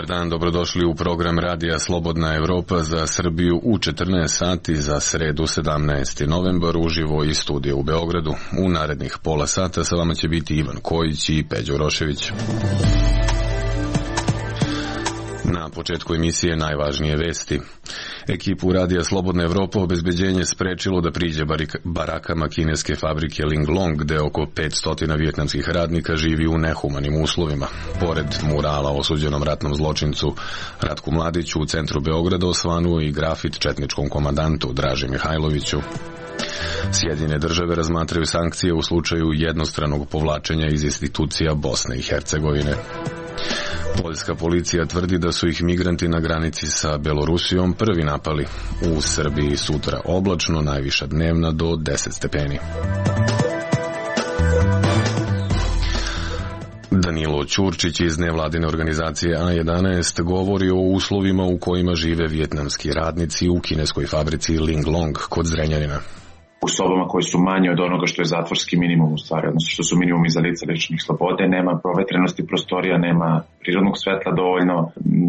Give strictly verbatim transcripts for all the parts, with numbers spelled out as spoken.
Dobar dan, dobrodošli u program Radija Slobodna Evropa za Srbiju u četrnaest sati za sredu sedamnaesti novembar uživo iz studija u Beogradu. U narednih pola sata sa vama će biti Ivan Kojić i Peđo Rošević. Na početku emisije najvažnije vesti. Ekipu Radija Slobodna Evropa obezbeđenje sprečilo da priđe barakama kineske fabrike Linglong, gde oko petsto vijetnamskih radnika živi u nehumanim uslovima. Pored murala osuđenom ratnom zločincu Ratku Mladiću u centru Beograda osvanuo i grafit četničkom komandantu Draži Mihajloviću. Sjedinjene države razmatraju sankcije u slučaju jednostranog povlačenja iz institucija Bosne i Hercegovine. Poljska policija tvrdi da su ih migranti na granici sa Belorusijom prvi napali. U Srbiji sutra oblačno, najviša dnevna do deset stepeni. Danilo Ćurčić iz nevladine organizacije A jedanaest govori o uslovima u kojima žive vijetnamski radnici u kineskoj fabrici Linglong kod Zrenjanina. U sobama koje su manje od onoga što je zatvorski minimum u stvari, odnosno što su minimumi za lica ličnih slobode, nema provetrenosti prostorija, nema prirodnog svetla dovoljno,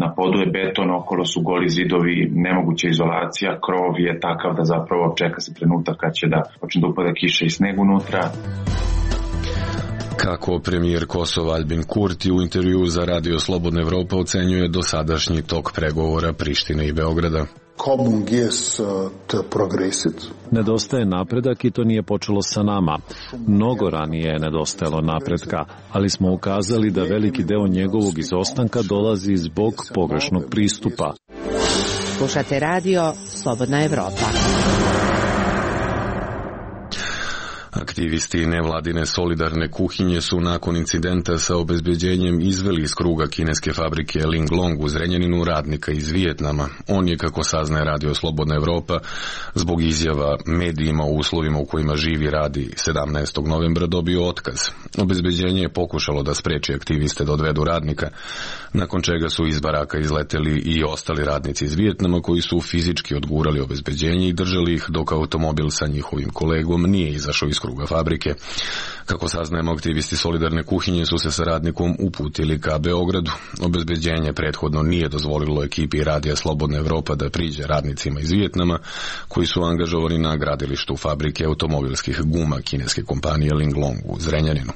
na podu je beton, okolo su goli zidovi, nemoguća izolacija, krov je takav da zapravo čeka se trenutak kad će da počne da upada kiša i sneg unutra. Kako premijer Kosova Albin Kurti u intervju za Radio Slobodna Evropa ocenjuje dosadašnji tok pregovora Prištine i Beograda. Nedostaje napredak i to nije počelo sa nama. Mnogo ranije je nedostajalo napretka, ali smo ukazali da veliki deo njegovog izostanka dolazi zbog pogrešnog pristupa. Slušate Radio Slobodna Evropa. Aktivisti nevladine solidarne kuhinje su nakon incidenta sa obezbeđenjem izveli iz kruga kineske fabrike Linglong u Zrenjaninu radnika iz Vijetnama. On je, kako saznaje Radio Slobodna Evropa, zbog izjava medijima o uslovima u kojima živi radi sedamnaestog novembra dobio otkaz. Obezbeđenje je pokušalo da spreči aktiviste da odvedu radnika, nakon čega su iz baraka izleteli i ostali radnici iz Vijetnama koji su fizički odgurali obezbeđenje i držali ih dok automobil sa njihovim kolegom nije izašao iz kruga fabrike. Kako saznajemo, aktivisti solidarne kuhinje su se sa radnikom uputili ka Beogradu. Obezbeđenje prethodno nije dozvolilo ekipi Radija Slobodna Evropa da priđe radnicima iz Vijetnama koji su angažovani na gradilištu fabrike automobilskih guma kineske kompanije Linglong u Zrenjaninu.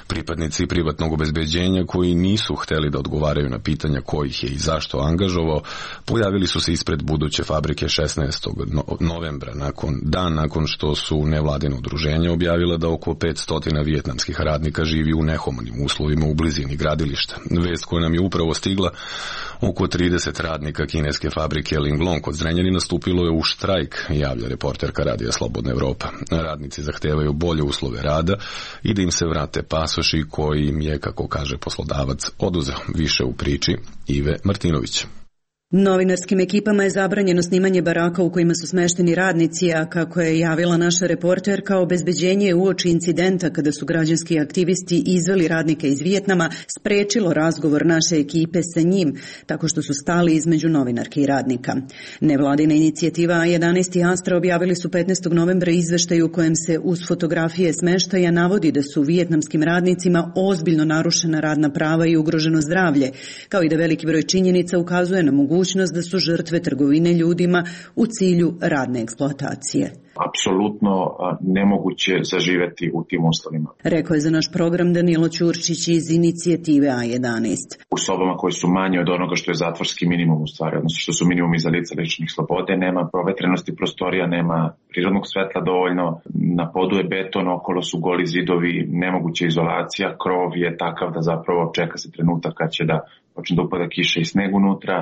Pripadnici privatnog obezbeđenja koji nisu hteli da odgovaraju na pitanja ko ih je i zašto angažovao, pojavili su se ispred buduće fabrike šesnaestog novembra, nakon dan nakon što su nevladine udruženja objavila da oko petsto vijetnamskih radnika živi u nehumanim uslovima u blizini gradilišta. Vest koja nam je upravo stigla, oko trideset radnika kineske fabrike Linglong kod Zrenjanina stupilo je u štrajk, javlja reporterka Radija Slobodna Evropa. Radnici zahtevaju bolje uslove rada i da im se vrate pasoši koji im je, kako kaže poslodavac, oduzeo. Više u priči Ive Martinović. Novinarskim ekipama je zabranjeno snimanje baraka u kojima su smešteni radnici, a kako je javila naša reporterka, obezbeđenje je uoči incidenta kada su građanski aktivisti izveli radnika iz Vijetnama sprečilo razgovor naše ekipe sa njim, tako što su stali između novinarke i radnika. Nevladina inicijativa A jedanaest i Astra objavili su petnaestog novembra izveštaj u kojem se uz fotografije smeštaja navodi da su vijetnamskim radnicima ozbiljno narušena radna prava i ugroženo zdravlje, kao i da veliki broj činjenica ukazuje na mogućnost da su žrtve trgovine ljudima u cilju radne eksploatacije. Apsolutno nemoguće zaživeti u tim uslovima. Rekao je za naš program Danilo Ćurčić iz inicijative A jedanaest. U sobama koje su manje od onoga što je zatvorski minimum u stvari, odnosno što su minimumi za lica ličnih slobode, nema provetrenosti prostorija, nema prirodnog svetla dovoljno, na podu je beton, okolo su goli zidovi, nemoguća izolacija, krov je takav da zapravo čeka se trenutak kad će da počne da upada kiša i sneg unutra.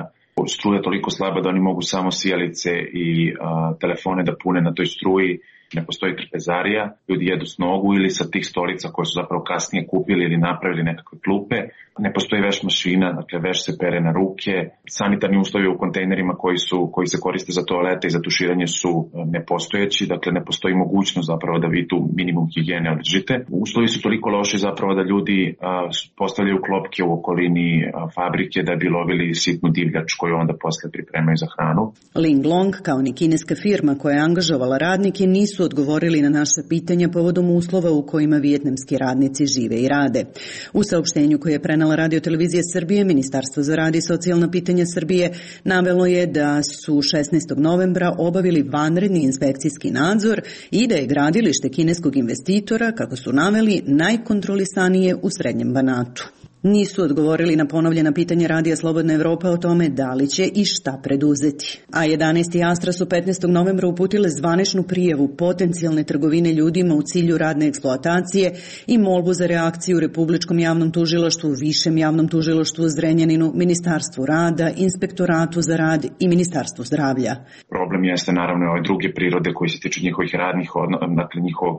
Struja je toliko slaba da oni mogu samo sijalice i a, telefone da pune na toj struji. Ne postoji trpezarija, ljudi jedu s nogu ili sa tih stolica koje su zapravo kasnije kupili ili napravili nekakve klupe. Ne postoji veš mašina, dakle veš se pere na ruke. Sanitarni uslovi u kontejnerima koji su koji se koriste za toalete i za tuširanje su nepostojeći, dakle ne postoji mogućnost zapravo da vi tu minimum higijene održite. Uslovi su toliko loši zapravo da ljudi a, postavljaju klopke u okolini a, fabrike da bi lovili sitnu divljač koju onda posle pripremaju za hranu. Linglong, kao ni kineska firma koja je angažovala radnike, nisu nisu odgovorili na naša pitanja povodom uslova u kojima vijetnamski radnici žive i rade. U saopštenju koje je prenela Radio televizija Srbije, Ministarstvo za rad i socijalna pitanja Srbije navelo je da su šesnaestog novembra obavili vanredni inspekcijski nadzor i da je gradilište kineskog investitora, kako su naveli, najkontrolisanije u Srednjem Banatu. Nisu odgovorili na ponovljena pitanja Radija Slobodna Evropa o tome da li će i šta preduzeti. A jedanaest i Astra su petnaestog novembra uputile zvaničnu prijavu potencijalne trgovine ljudima u cilju radne eksploatacije i molbu za reakciju Republičkom javnom tužilaštvu, Višem javnom tužilaštvu u Zrenjaninu, Ministarstvu rada, Inspektoratu za rad i Ministarstvu zdravlja. Problem jeste naravno ove druge prirode koji se tiču njihovih radnih, dakle njihovog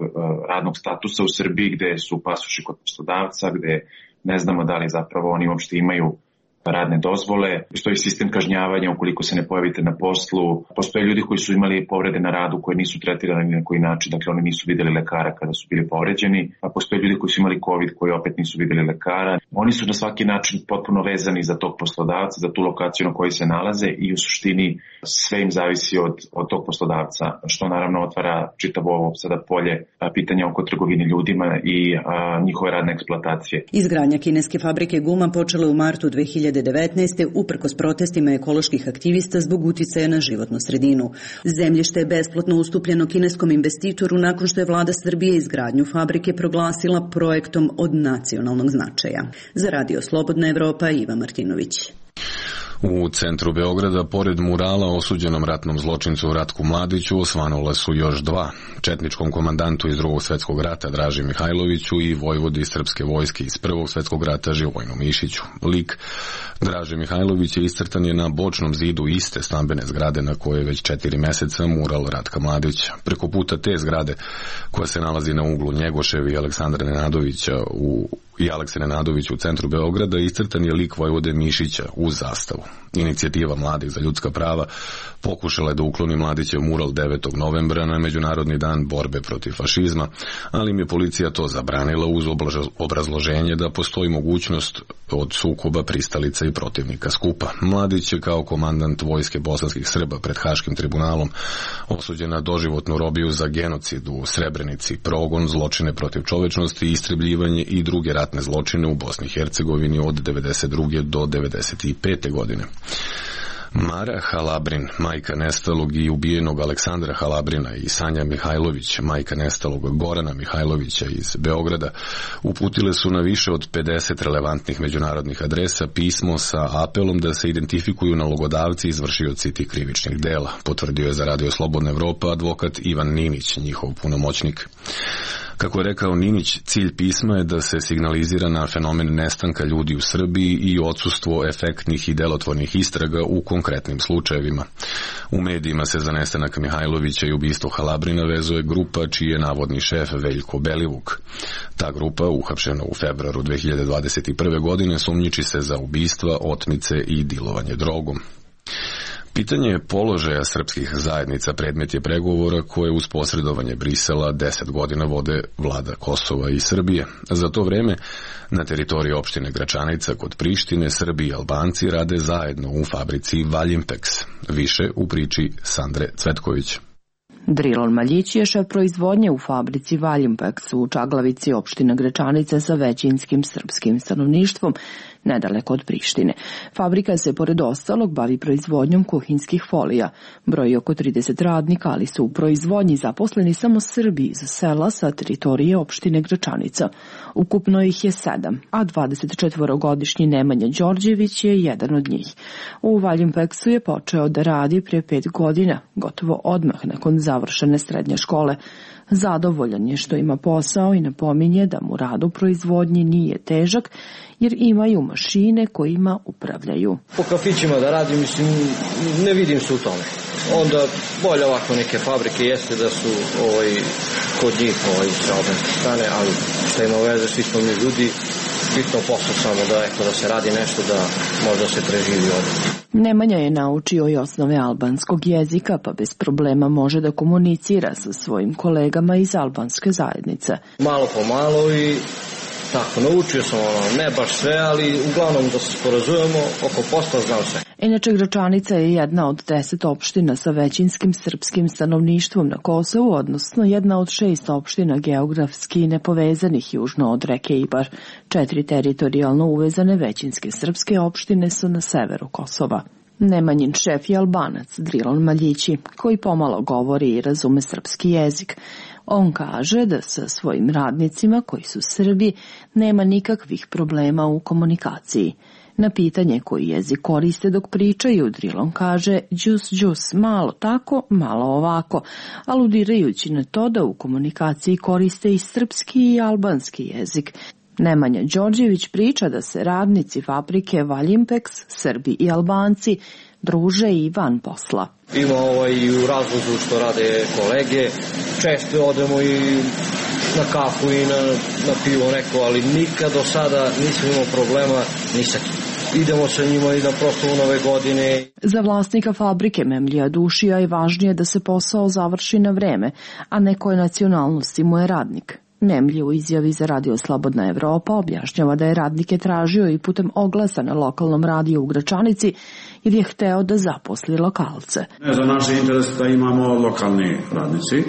radnog statusa u Srbiji, gde su pasoši kod poslodavca, gde ne znamo da li zapravo oni uopšte imaju radne dozvole. Postoji sistem kažnjavanja ukoliko se ne pojavite na poslu. Postoje ljudi koji su imali povrede na radu koje nisu tretirane ni na koji način, dakle oni nisu videli lekara kada su bili povređeni, a postoje ljudi koji su imali COVID koji opet nisu videli lekara. Oni su na svaki način potpuno vezani za tog poslodavca, za tu lokaciju na kojoj se nalaze i u suštini sve im zavisi od, od tog poslodavca, što naravno otvara čitavo ovo sada polje pitanja oko trgovine ljudima i a, njihove radne eksploatacije. Izgradnja kineske fabrike guma počela u martu dve hiljade devetnaeste. uprkos protestima ekoloških aktivista zbog uticaja na životnu sredinu. Zemljište je besplatno ustupljeno kineskom investitoru nakon što je vlada Srbije izgradnju fabrike proglasila projektom od nacionalnog značaja. Za Radio Slobodna Evropa, Iva Martinović. U centru Beograda, pored murala osuđenom ratnom zločincu Ratku Mladiću, osvanula su još dva. Četničkom komandantu iz Drugog svetskog rata Draži Mihajloviću i vojvodi srpske vojske iz Prvog svetskog rata Živojnu Mišiću. Lik Draže Mihajlovića iscrtan je na bočnom zidu iste stambene zgrade na kojoj je već četiri meseca mural Ratka Mladića. Preko puta te zgrade, koja se nalazi na uglu Njegoševi i Aleksandra Nenadovića u i Alekse Nenadović u centru Beograda, iscrtan je lik vojvode Mišića uz zastavu. Inicijativa Mladih za ljudska prava pokušala je da ukloni Mladićev mural devetog novembra na Međunarodni dan borbe protiv fašizma, ali im je policija to zabranila uz obrazloženje da postoji mogućnost od sukoba pristalica i protivnika skupa. Mladić je kao komandant vojske bosanskih Srba pred Haškim tribunalom osuđen na doživotnu robiju za genocid u Srebrenici, progon, zločine protiv čovečnosti, istrebljivanje i druge ratne zločine u Bosni i Hercegovini od devedeset druge do devedeset pete godine. Mara Halabrin, majka nestalog i ubijenog Aleksandra Halabrina, i Sanja Mihajlović, majka nestalog Gorana Mihajlovića iz Beograda, uputile su na više od pedeset relevantnih međunarodnih adresa pismo sa apelom da se identifikuju nalogodavci i izvršioci tih krivičnih dela, potvrdio je za Radio Slobodna Evropa advokat Ivan Ninić, njihov punomoćnik. Kako je rekao Ninić, cilj pisma je da se signalizira na fenomen nestanka ljudi u Srbiji i odsustvo efektnih i delotvornih istraga u konkretnim slučajevima. U medijima se za nestanak Mihajlovića i ubistvo Halabrina vezuje grupa čiji je navodni šef Veljko Belivuk. Ta grupa, uhapšena u februaru dve hiljade dvadeset prve. godine, sumnjiči se za ubistva, otmice i dilovanje drogom. Pitanje položaja srpskih zajednica predmet je pregovora koje uz posredovanje Brisela deset godina vode vlada Kosova i Srbije. Za to vreme na teritoriji opštine Gračanica kod Prištine Srbi i Albanci rade zajedno u fabrici Valjimpex. Više u priči Sandre Cvetković. Drilon Maljić je šef proizvodnje u fabrici Valjimpex u Čaglavici, opština Gračanice sa većinskim srpskim stanovništvom, nedaleko od Prištine. Fabrika se, pored ostalog, bavi proizvodnjom kuhinskih folija. Broji oko trideset radnika, ali su u proizvodnji zaposleni samo Srbi iz sela sa teritorije opštine Gračanica. Ukupno ih je sedam, a dvadesetčetvorogodišnji Nemanja Đorđević je jedan od njih. U Valjimpeksu je počeo da radi prije pet godina, gotovo odmah nakon završene srednje škole. Zadovoljan je što ima posao i napominje da mu rad u proizvodnji nije težak, jer imaju mašine kojima upravljaju. Po kafićima da radim, mislim, ne vidim se u tome. Onda bolje ovako neke fabrike jeste da su ovaj, kod njih ovaj, sa albanske strane, ali što ima veze, svi smo mi ljudi, bitno posao samo da, eto, da se radi nešto da možda se preživi ovdje. Nemanja je naučio i osnove albanskog jezika, pa bez problema može da komunicira sa svojim kolegama iz albanske zajednice. Malo po malo i tako, naučio sam ono, ne baš sve, ali uglavnom da se sporazujemo oko posla, znam sve. Inače, Gračanica je jedna od deset opština sa većinskim srpskim stanovništvom na Kosovu, odnosno jedna od šest opština geografski nepovezanih južno od reke Ibar. Četiri teritorijalno uvezane većinske srpske opštine su na severu Kosova. Nemanjin šef je Albanac Drilon Maljići, koji pomalo govori i razume srpski jezik. On kaže da sa svojim radnicima, koji su Srbi, nema nikakvih problema u komunikaciji. Na pitanje koji jezik koriste dok pričaju, Drilon kaže džus džus, malo tako, malo ovako, aludirajući na to da u komunikaciji koriste i srpski i albanski jezik. Nemanja Đorđević priča da se radnici fabrike Valjimpeks, Srbi i Albanci, druže i van posla. Ima ovaj i u razvozu što rade kolege, često odemo i na kafu i na, na pivo neko, ali nikad do sada nisam imao problema ni sa kim. Idemo sa njima i na proslavu Nove godine. Za vlasnika fabrike Memlija Dušija je važnije da se posao završi na vreme, a ne koje nacionalnosti mu je radnik. Nemlji u izjavi za Radio Slobodna Evropa objašnjava da je radnike tražio i putem oglasa na lokalnom radiju u Gračanici jer je hteo da zaposli lokalce. Za naš interes da imamo lokalni radnici,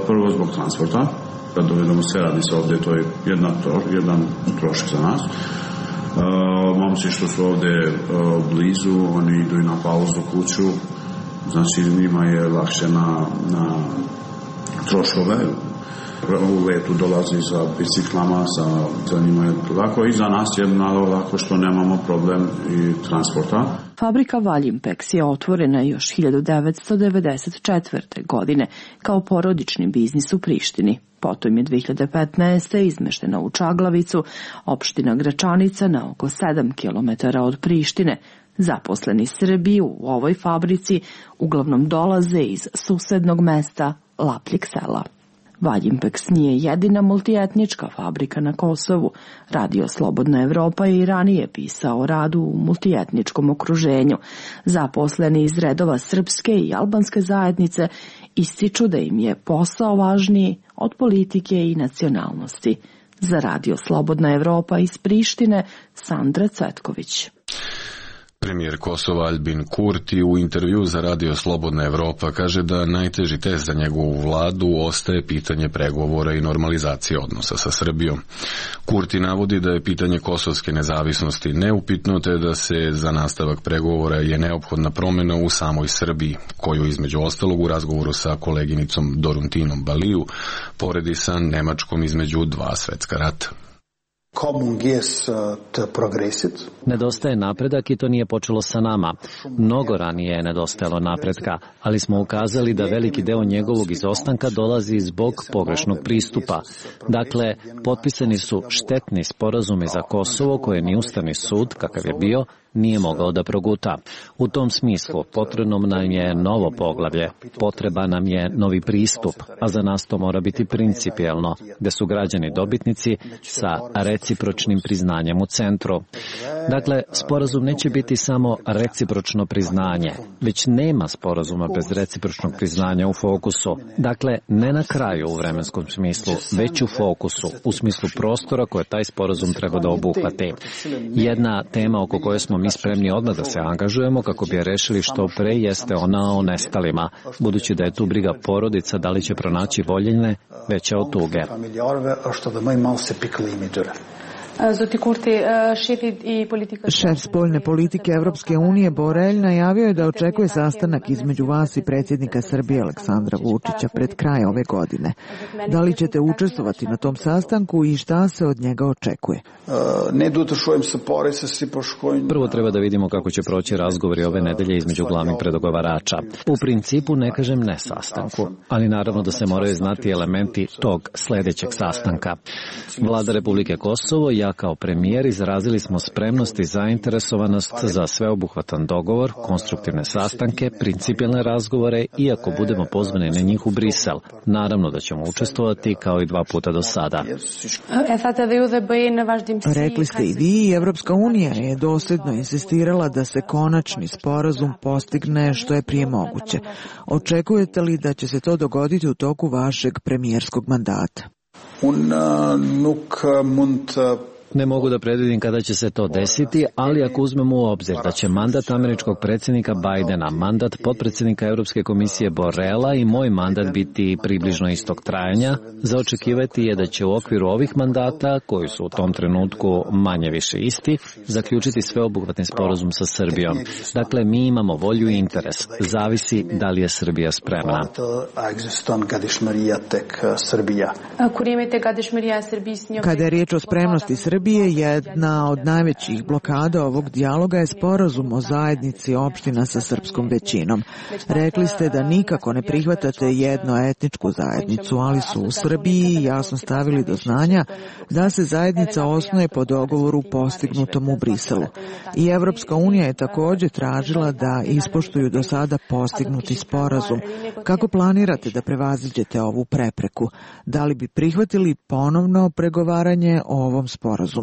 prvo zbog transporta, da dovedemo sve radnice ovde, to je jedna, jedan trošak za nas. Uh, momci što su ovde uh, blizu, oni idu i na pauzu kuću, znači njima je lakše na, na troškove. U letu dolazi sa biciklama, sa, za njima je lako i za nas je malo lako što nemamo problem i transporta. Fabrika Valjimpeks je otvorena još hiljadu devetsto devedeset četvrte. godine kao porodični biznis u Prištini. Potom je dve hiljade petnaeste. izmeštena u Čaglavicu, opština Gračanica na oko sedam kilometara od Prištine. Zaposleni Srbi u ovoj fabrici uglavnom dolaze iz susednog mesta Lapljeg Sela. Valjimpeks nije jedina multietnička fabrika na Kosovu. Radio Slobodna Evropa je i ranije pisao o radu u multietničkom okruženju. Zaposleni iz redova srpske i albanske zajednice ističu da im je posao važniji od politike i nacionalnosti. Za Radio Slobodna Evropa iz Prištine, Sandra Cvetković. Premijer Kosova Albin Kurti u intervju za Radio Slobodna Evropa kaže da najteži test za njegovu vladu ostaje pitanje pregovora i normalizacije odnosa sa Srbijom. Kurti navodi da je pitanje kosovske nezavisnosti neupitno, te da se za nastavak pregovora je neophodna promjena u samoj Srbiji, koju između ostalog u razgovoru sa koleginicom Doruntinom Baliju poredi sa Nemačkom između dva svetska rata. Nedostaje napredak i to nije počelo sa nama. Mnogo ranije je nedostajalo napretka, ali smo ukazali da veliki deo njegovog izostanka dolazi zbog pogrešnog pristupa. Dakle, potpisani su štetni sporazumi za Kosovo koje ni Ustavni sud, kakav je bio, nije mogao da proguta. U tom smislu potrebno nam je novo poglavlje, potreba nam je novi pristup, a za nas to mora biti principijelno, gde su građani dobitnici sa recipročnim priznanjem u centru. Dakle, sporazum neće biti samo recipročno priznanje, već nema sporazuma bez recipročnog priznanja u fokusu. Dakle, ne na kraju u vremenskom smislu, već u fokusu, u smislu prostora koje taj sporazum treba da obuhvati. Jedna tema oko koje smo mi spremni odmah da se angažujemo kako bi je rešili što pre jeste ona o nestalima, budući da je tu briga porodica da li će pronaći voljene veća od tuge. Šef spoljne politike Evropske unije Borelj najavio je da očekuje sastanak između vas i predsjednika Srbije Aleksandra Vučića pred kraj ove godine. Da li ćete učestvovati na tom sastanku i šta se od njega očekuje? Prvo treba da vidimo kako će proći razgovori ove nedelje između glavnih predogovarača. U principu ne kažem ne sastanku, ali naravno da se moraju znati elementi tog sledećeg sastanka. Vlada Republike Kosovo i ja kao premijer izrazili smo spremnost i zainteresovanost za sveobuhvatan dogovor, konstruktivne sastanke, principijelne razgovore i ako budemo pozvani na njih u Brisel, naravno da ćemo učestvovati kao i dva puta do sada. Rekli ste i vi i Evropska unija je dosljedno insistirala da se konačni sporazum postigne što je prije moguće. Očekujete li da će se to dogoditi u toku vašeg premijerskog mandata? Ne mogu da predvidim kada će se to desiti, ali ako uzmemo u obzir da će mandat američkog predsjednika Bajdena, mandat potpredsjednika Europske komisije Borrella i moj mandat biti približno istog trajanja, za očekivati je da će u okviru ovih mandata, koji su u tom trenutku manje više isti, zaključiti sveobuhvatni sporazum sa Srbijom. Dakle, mi imamo volju i interes. Zavisi da li je Srbija spremna. Kada je riječ o spremnosti Srbije, jedna od najvećih blokada ovog dijaloga je sporazum o zajednici opština sa srpskom većinom. Rekli ste da nikako ne prihvatate jednoetničku zajednicu, ali su u Srbiji jasno stavili do znanja da se zajednica osnuje po dogovoru postignutom u Briselu. I Evropska unija je također tražila da ispoštuju do sada postignuti sporazum. Kako planirate da prevaziđete ovu prepreku? Da li bi prihvatili ponovno pregovaranje o ovom sporazumu?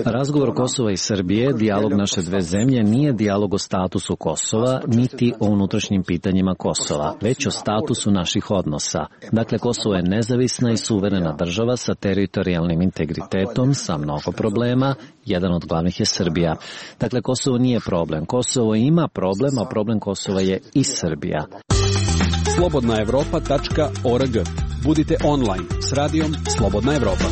Razgovor Kosova i Srbije, dijalog naše dve zemlje, nije dijalog o statusu Kosova, niti o unutrašnjim pitanjima Kosova, već o statusu naših odnosa. Dakle, Kosovo je nezavisna i suverena država sa teritorijalnim integritetom, sa mnogo problema, jedan od glavnih je Srbija. Dakle, Kosovo nije problem. Kosovo ima problem, a problem Kosova je i Srbija. slobodna evropa tačka org. Budite online s radijom Slobodna Evropa.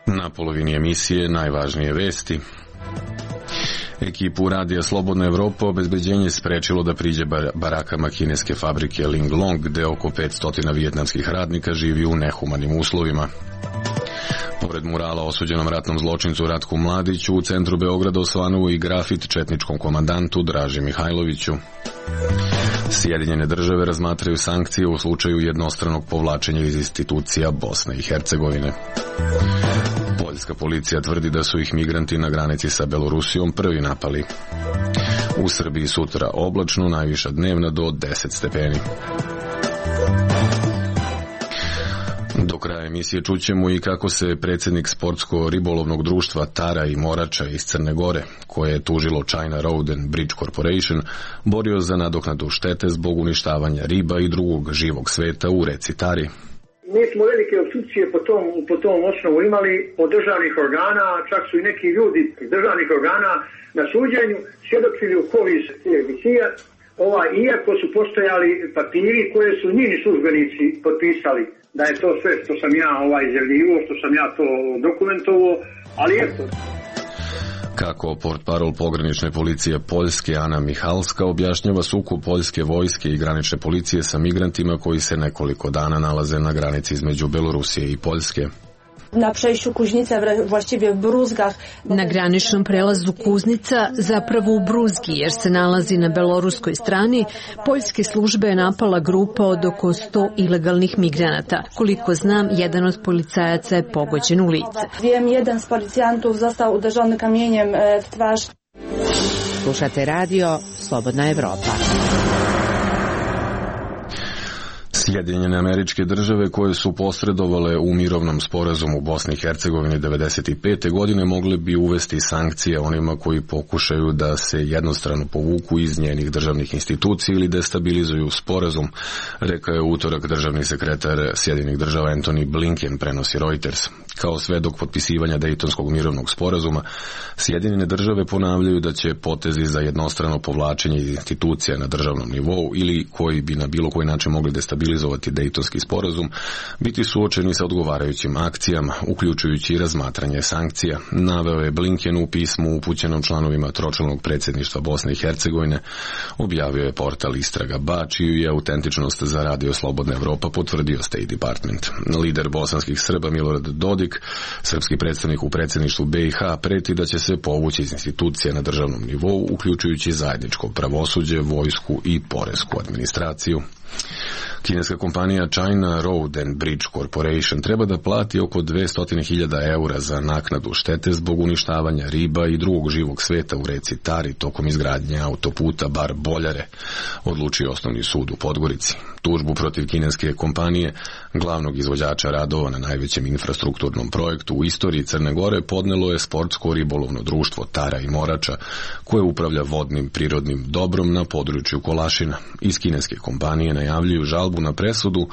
Na polovini emisije najvažnije vesti. Ekipu radija Slobodna Evropa obezbeđenje sprečilo da priđe barakama kineske fabrike Linglong, gde oko petsto vijetnamskih radnika živi u nehumanim uslovima. Pored murala osuđenom ratnom zločincu Ratku Mladiću, u centru Beograda osvanuo i grafit četničkom komandantu Draži Mihajloviću. Sjedinjene države razmatraju sankcije u slučaju jednostranog povlačenja iz institucija Bosne i Hercegovine. Poljska policija tvrdi da su ih migranti na granici sa Belorusijom prvi napali. U Srbiji sutra oblačno, najviša dnevna do deset stepeni. Do kraja emisije čućemo i kako se predsjednik sportsko-ribolovnog društva Tara i Morača iz Crne Gore, koje je tužilo China Road and Bridge Corporation, borio za nadoknadu štete zbog uništavanja riba i drugog živog sveta u reci Tari. Mi smo velike opstrukcije po tom, po tom osnovu imali od državnih organa, čak su i neki ljudi iz državnih organa na suđenju svjedočili u korist emisija, ovaj, iako su postojali papiri koje su njini službenici potpisali da je to sve što sam ja ovaj izjavljivo, što sam ja to dokumentovao, ali eto. Kako portparol pogranične policije Poljske Ana Mihalska objašnjava sukob poljske vojske i granične policije sa migrantima koji se nekoliko dana nalaze na granici između Belorusije i Poljske. Na przejściu Kuźnica, właściwie w Bruzgach. Na graničnom prelazu Kuznica, zapravo u Bruzgi, jer se nalazi na beloruskoj strani, poljske službe je napala grupa od oko sto ilegalnih migranata. Koliko znam, jedan od policajaca je pogođen u lice. Wiem, jedan z policjantów został uderzony kamieniem w twarz. Slušate radio Slobodna Evropa. Sjedinjene Američke Države koje su posredovale u mirovnom sporazumu u Bosni i Hercegovini devedeset pete godine mogle bi uvesti sankcije onima koji pokušaju da se jednostrano povuku iz njenih državnih institucija ili destabilizuju sporazum, rekao je utorak državni sekretar Sjedinjenih Država Antony Blinken, prenosi Reuters. Kao svedok potpisivanja Dejtonskog mirovnog sporazuma, Sjedinjene Države ponavljaju da će potezi za jednostrano povlačenje iz institucija na državnom nivou ili koji bi na bilo koji način mogli destabilizovati Dejtonski sporazum biti suočeni sa odgovarajućim akcijama, uključujući i razmatranje sankcija, naveo je Blinken u pismu upućenom članovima tročlanog predsjedništva Bosne i Hercegovine, objavio je portal Istraga ba, čiju je autentičnost za radio Slobodna Evropa potvrdio State Department. Lider bosanskih Srba Milorad Dodik, srpski predstavnik u predsjedništvu be i ha, preti da će se povući iz institucija na državnom nivou, uključujući zajedničko pravosuđe, vojsku i poresku administraciju. Kineska kompanija China Road and Bridge Corporation treba da plati oko dvesta hiljada eura za naknadu štete zbog uništavanja riba i drugog živog sveta u reci Tari tokom izgradnje autoputa Bar Boljare, odlučio Osnovni sud u Podgorici. Tužbu protiv kineske kompanije, glavnog izvođača radova na najvećem infrastrukturnom projektu u istoriji Crne Gore, podnelo je sportsko ribolovno društvo Tara i Morača, koje upravlja vodnim prirodnim dobrom na području Kolašina. Iz kineske kompanije najavljuju žalbu na presudu,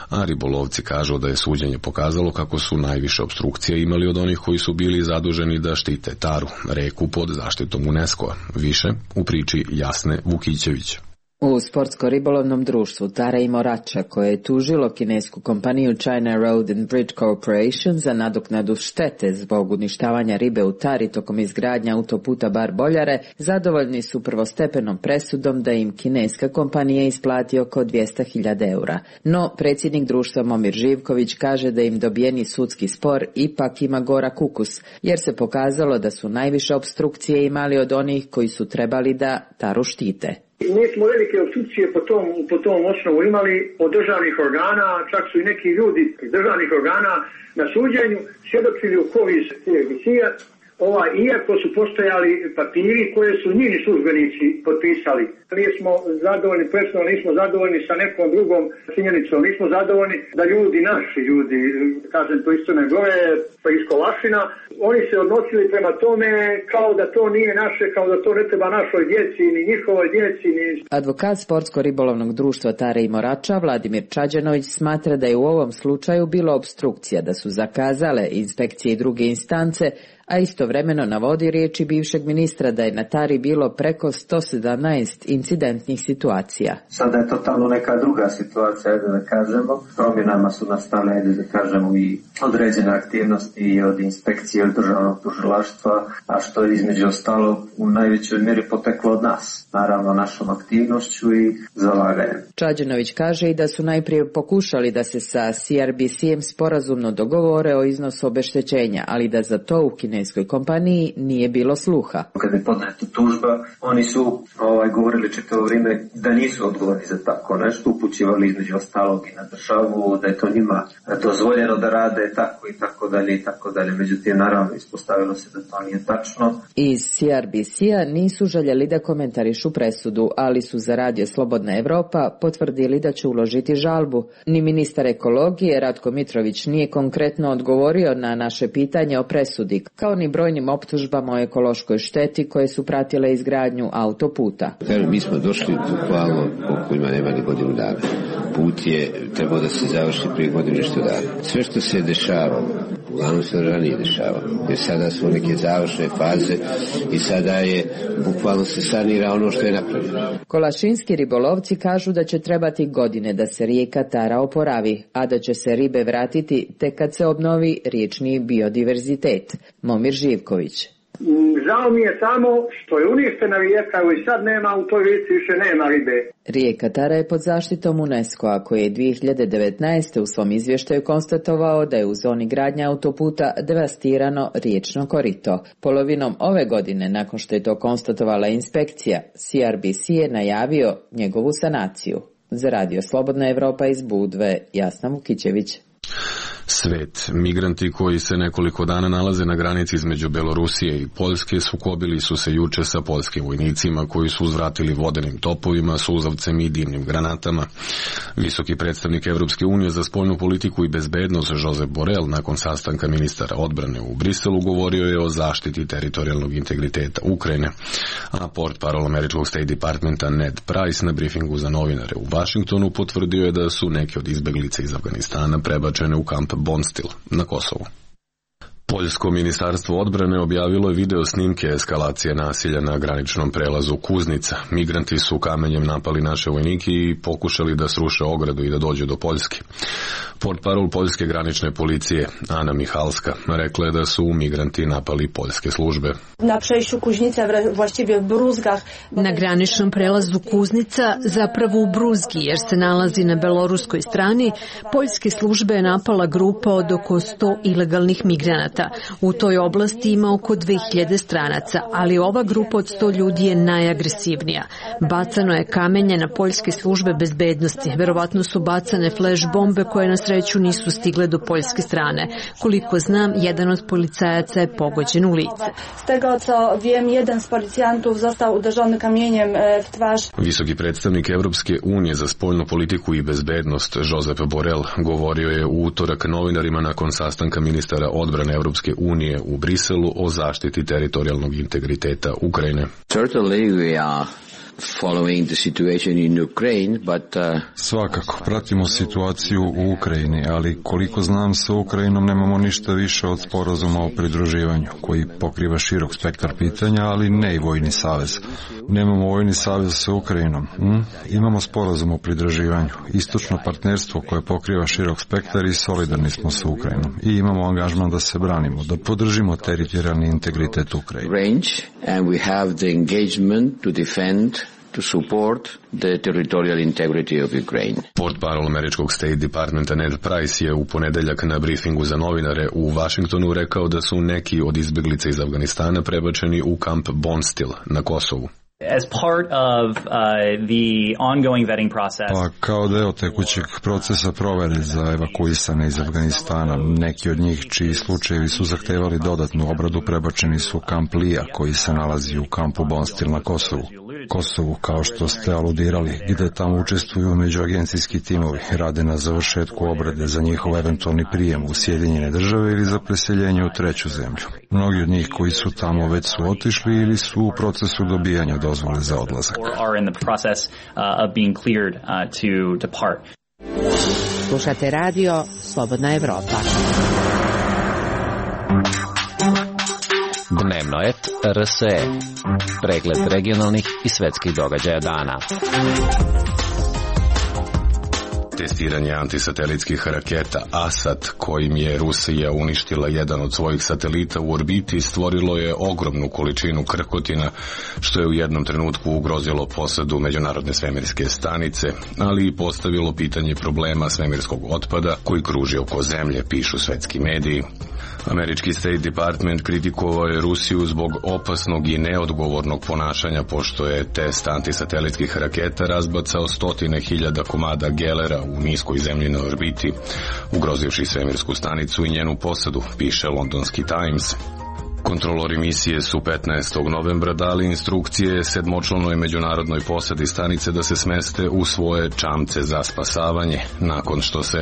a ribolovci kažu da je suđenje pokazalo kako su najviše opstrukcije imali od onih koji su bili zaduženi da štite Taru, reku pod zaštitom UNESCO-a. Više u priči Jasne Vukićević. U sportsko-ribolovnom društvu Tara i Morača, koje je tužilo kinesku kompaniju China Road and Bridge Corporation za nadoknadu štete zbog uništavanja ribe u Tari tokom izgradnja autoputa Bar Boljare, zadovoljni su prvostepenom presudom da im kineska kompanija isplati oko dvesta hiljada eura. No, predsjednik društva Momir Živković kaže da im dobijeni sudski spor ipak ima gorak ukus, jer se pokazalo da su najviše opstrukcije imali od onih koji su trebali da Taru štite. Mi smo velike opstrukcije po tom, po tom osnovu imali od državnih organa, čak su i neki ljudi iz državnih organa na suđenju svjedočili u korist emisija, ovaj, iako su postojali papiri koje su njini službenici potpisali. Nismo zadovoljni, presudom nismo zadovoljni sa nekom drugom činjenicom, nismo zadovoljni da ljudi, naši ljudi, kažem to isto ne gore, pa iz Kolašina, oni se odnosili prema tome kao da to nije naše, kao da to ne treba našoj djeci, ni njihovoj djeci, ni... Advokat sportsko-ribolovnog društva Tare i Morača, Vladimir Čađanović, smatra da je u ovom slučaju bilo opstrukcija, da su zakazale inspekcije i druge instance, a istovremeno navodi riječi bivšeg ministra da je na Tari bilo preko sto sedamnaest incidentnih situacija. Sada je totalno neka druga situacija, da kažemo. Promjenama su nastale, da kažemo, i određene aktivnosti od inspekcije, od državnog tužilaštva, a što je između ostalo u najvećoj mjeri poteklo od nas. Naravno, našom aktivnošću i zalaganjem. Čađanović kaže i da su najprije pokušali da se sa C R B C-em sporazumno dogovore o iznosu obeštećenja, ali da za to u kineskoj kompaniji nije bilo sluha. Kada je podneta tužba, oni su ovaj, govorili čitavo vrijeme da nisu odgovorni za tako nešto, upućivali između ostalog i na državu, da je to njima dozvoljeno da rade tako i tako dalje i tako dalje. Međutim, naravno, ispostavilo se da to nije tačno. Iz C R B C-a nisu željeli da komentarišu presudu, ali su za Radio Slobodna Evropa potvrdili da će uložiti žalbu. Ni ministar ekologije Ratko Mitrović nije konkretno odgovorio na naše pitanje o presudi, kao ni brojnim optužbama o ekološkoj šteti koje su pratile izgradnju autoputa. Kažem, mi smo došli bukvalno koliko ima nema ni godinu dana. Put je trebao da se završi prije godinu nešto dana. Sve što se dešavalo, uglavnom se ranije dešavalo. Jer sada su neke završne faze i sada je bukvalno se sanira ono što je napravljeno. Kolašinski ribolovci kažu da će trebati godine da se rijeka Tara oporavi, a da će se ribe vratiti tek kad se obnovi riječni biodiverzitet. Momir Živković. Žao mi je samo što je uništena rijeka i sad nema, u toj rijeci više nema ribe. Rijeka Tara je pod zaštitom UNESCO-a koji je dvije hiljade devetnaeste. u svom izvještaju konstatovao da je u zoni gradnja autoputa devastirano riječno korito. Polovinom ove godine, nakon što je to konstatovala inspekcija, C R B C je najavio njegovu sanaciju. Za Radio Slobodna Evropa iz Budve, Jasna Vukićević. Svet. Migranti koji se nekoliko dana nalaze na granici između Belorusije i Poljske sukobili su se juče sa poljskim vojnicima koji su uzvratili vodenim topovima, suzavcem i dimnim granatama. Visoki predstavnik Evropske unije za spoljnu politiku i bezbednost Josep Borrell nakon sastanka ministara odbrane u Briselu govorio je o zaštiti teritorijalnog integriteta Ukrajine, a portparol američkog State Departmenta Ned Price na briefingu za novinare u Vašingtonu potvrdio je da su neke od izbeglica iz Afganistana prebačene u kamp Bonstil na Kosovu. Poljsko ministarstvo odbrane objavilo je video snimke eskalacije nasilja na graničnom prelazu Kuznica. Migranti su kamenjem napali naše vojnike i pokušali da sruše ogradu i da dođu do Poljske. Portparol poljske granične policije Ana Michalska rekla je da su migranti napali poljske službe. Na przejściu Kuźnica, właściwie w Bruzgach. Na graničnom prelazu Kuznica, zapravo u Bruzgi, jer se nalazi na beloruskoj strani, poljske službe je napala grupa od oko sto ilegalnih migranata. U toj oblasti ima oko dve hiljade stranaca, ali ova grupa od sto ljudi je najagresivnija. Bacano je kamenje na poljske službe bezbednosti. Verovatno su bacane flash bombe koje na sreću nisu stigle do poljske strane. Koliko znam, jedan od policajaca je pogođen u lice. Z tego co wiem, jeden z policjantów został uderzony kamieniem w twarz. Visoki predstavnik Evropske unije za spoljnu politiku i bezbednost Josep Borrell govorio je u utorak novinarima nakon sastanka ministara odbrane Evropske unije u Briselu o zaštiti teritorijalnog integriteta Ukrajine. Certainly we are following the situation in Ukraine, but uh... Svakako, pratimo situaciju u Ukrajini, ali koliko znam sa Ukrajinom nemamo ništa više od sporazuma o pridruživanju, koji pokriva širok spektar pitanja, ali ne i vojni savez. Nemamo vojni savez sa Ukrajinom. Hm? Imamo sporazum o pridruživanju, istočno partnerstvo koje pokriva širok spektar i solidarni smo sa Ukrajinom. I imamo angažman da se branimo, da podržimo teritorijalni integritet Ukrajine. Range, and we have the engagement to defend to support the territorial integrity of Ukraine. Portparol američkog State Departmenta Ned Price je u ponedeljak na briefingu za novinare u Vašingtonu rekao da su neki od izbeglica iz Afganistana prebačeni u kamp Bonstil na Kosovu. As part of uh, the ongoing vetting process. Pa kao deo tekućeg procesa provere za evakuisane iz Afganistana, neki od njih čiji slučajevi su zahtevali dodatnu obradu prebačeni su u kamp Lija koji se nalazi u kampu Bonstil na Kosovu. Kosovu, kao što ste aludirali, gde tamo učestvuju međuagencijski timovi, rade na završetku obrade za njihov eventualni prijem u Sjedinjene države ili za preseljenje u treću zemlju. Mnogi od njih koji su tamo već su otišli ili su u procesu dobijanja dozvole za odlazak. Slušate radio Slobodna Evropa. Dnevno et R S E. Pregled regionalnih i svetskih događaja dana. Testiranje antisatelitskih raketa ASAT, kojim je Rusija uništila jedan od svojih satelita u orbiti, stvorilo je ogromnu količinu krkotina, što je u jednom trenutku ugrozilo posadu Međunarodne svemirske stanice, ali i postavilo pitanje problema svemirskog otpada koji kruži oko zemlje, pišu svetski mediji. Američki State Department kritikovao je Rusiju zbog opasnog i neodgovornog ponašanja, pošto je test antisatelitskih raketa razbacao stotine hiljada komada gelera u niskoj zemljinoj orbiti, ugrozivši svemirsku stanicu i njenu posadu, piše londonski Times. Kontrolori misije su petnaestog novembra dali instrukcije sedmočlanoj međunarodnoj posadi stanice da se smeste u svoje čamce za spasavanje, nakon što se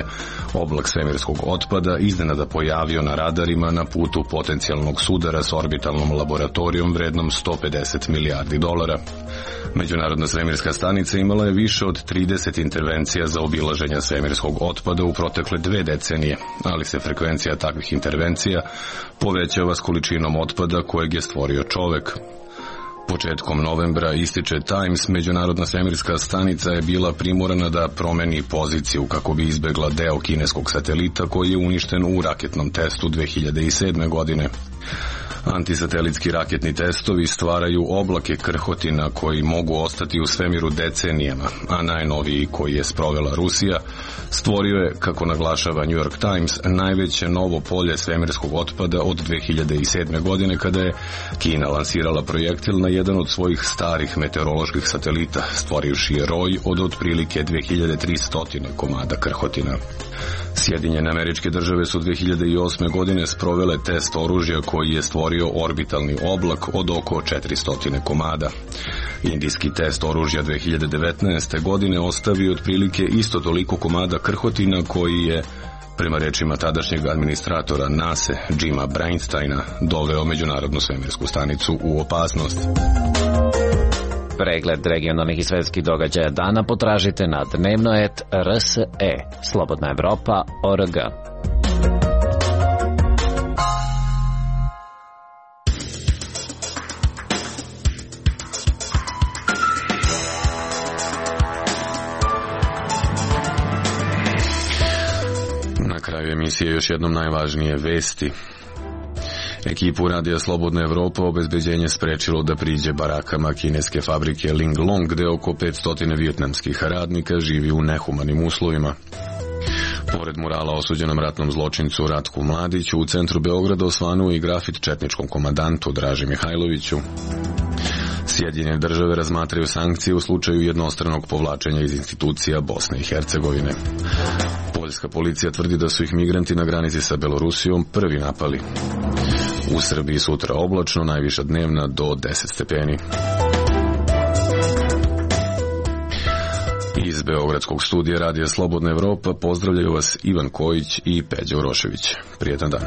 oblak svemirskog otpada iznenada pojavio na radarima na putu potencijalnog sudara s orbitalnom laboratorijom vrednom sto pedeset milijardi dolara. Međunarodna svemirska stanica imala je više od trideset intervencija za obilaženja svemirskog otpada u protekle dve decenije, ali se frekvencija takvih intervencija povećava s količinom otpada kojeg je stvorio čovek. Početkom novembra, ističe Times, Međunarodna svemirska stanica je bila primorana da promeni poziciju kako bi izbegla deo kineskog satelita koji je uništen u raketnom testu dve hiljade sedme. godine. Antisatelitski raketni testovi stvaraju oblake krhotina koji mogu ostati u svemiru decenijama, a najnoviji, koji je sprovela Rusija, stvorio je, kako naglašava New York Times, najveće novo polje svemirskog otpada od dve hiljade sedme. godine kada je Kina lansirala projektil na jedan od svojih starih meteoroloških satelita, stvorivši je roj od otprilike dve hiljade tristo komada krhotina. Sjedinjene Američke Države su dve hiljade osme. godine sprovele test oružja koji je stvorio orbitalni oblak od oko četiristo komada. Indijski test oružja dve hiljade devetnaeste. godine ostavio otprilike isto toliko komada krhotina koji je, prema rečima tadašnjeg administratora NASA, Jima Breinsteina, doveo Međunarodnu svemirsku stanicu u opasnost. Pregled regionalnih i svetskih događaja dana potražite na dnevno et R S E, Slobodna Evropa, O R G. emisije još jednom najvažnije vesti. Ekipu Radija Slobodna Evropa obezbeđenje sprečilo da priđe barakama kineske fabrike Linglong, gde oko petsto vijetnamskih radnika živi u nehumanim uslovima. Pored murala osuđenom ratnom zločincu Ratku Mladiću, u centru Beograda osvanuo i grafit četničkom komandantu Draži Mihajloviću. Sjedinjene države razmatraju sankcije u slučaju jednostranog povlačenja iz institucija Bosne i Hercegovine. Poljska policija tvrdi da su ih migranti na granici sa Belorusijom prvi napali. U Srbiji sutra oblačno, najviša dnevna do deset stepeni. Iz Beogradskog studija Radija Slobodna Evropa pozdravljaju vas Ivan Kojić i Peđa Urošević. Prijetan dan.